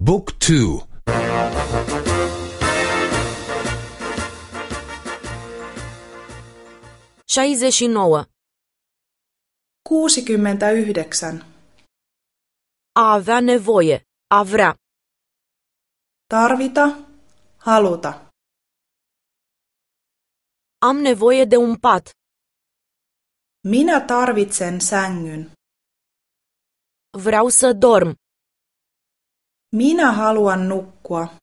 Book 2. 69. 69. A avea nevoie. A vrea. Tarvita, haluta. Am nevoie de un pat. Minä tarvitsen sängyn. Vreau să dorm. Minä haluan nukkua.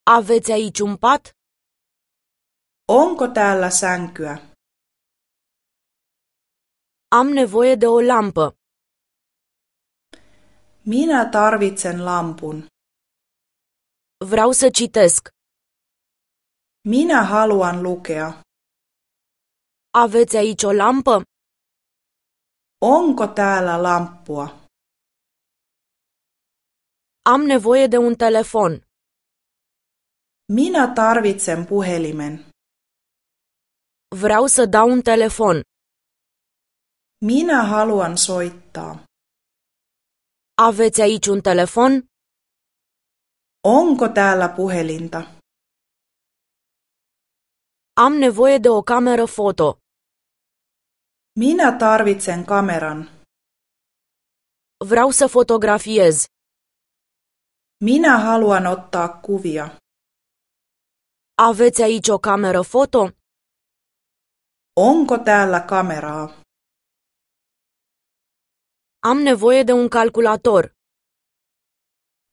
Aveți aici un pat? Onko täällä sänkyä? Am nevoie de o lampă. Minä tarvitsen lampun. Vreau să citesc. Minä haluan lukea. Aveți aici o lampă? Onko täällä lamppua? Am nevoie de un telefon. Minä tarvitsen puhelimen. Vreau să dau un telefon. Minä haluan soittaa. Aveți aici un telefon? Onko täällä puhelinta? Am nevoie de o cameră foto. Minä tarvitsen kameran. Vreau să fotografiez. Minä haluan ottaa kuvia. Aveți aici o cameră foto? Onko täällä kameraa? Am nevoie de un calculator.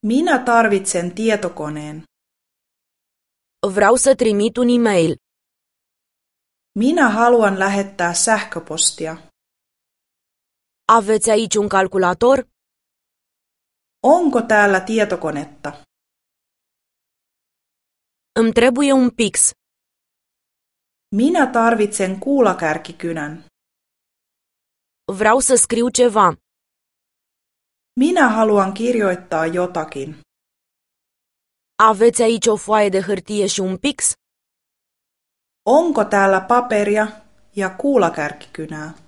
Minä tarvitsen tietokoneen. Vreau să trimit un e-mail. Minä haluan lähettää sähköpostia. Aveți aici un calculator? Onko täällä tietokonetta? Îmi trebuie un pix. Minä tarvitsen kuulakärkikynän. Vreau să scriu ceva. Minä haluan kirjoittaa jotakin. Aveți aici o foaie de hârtie și un pix? Onko täällä paperia ja kuulakärkikynää?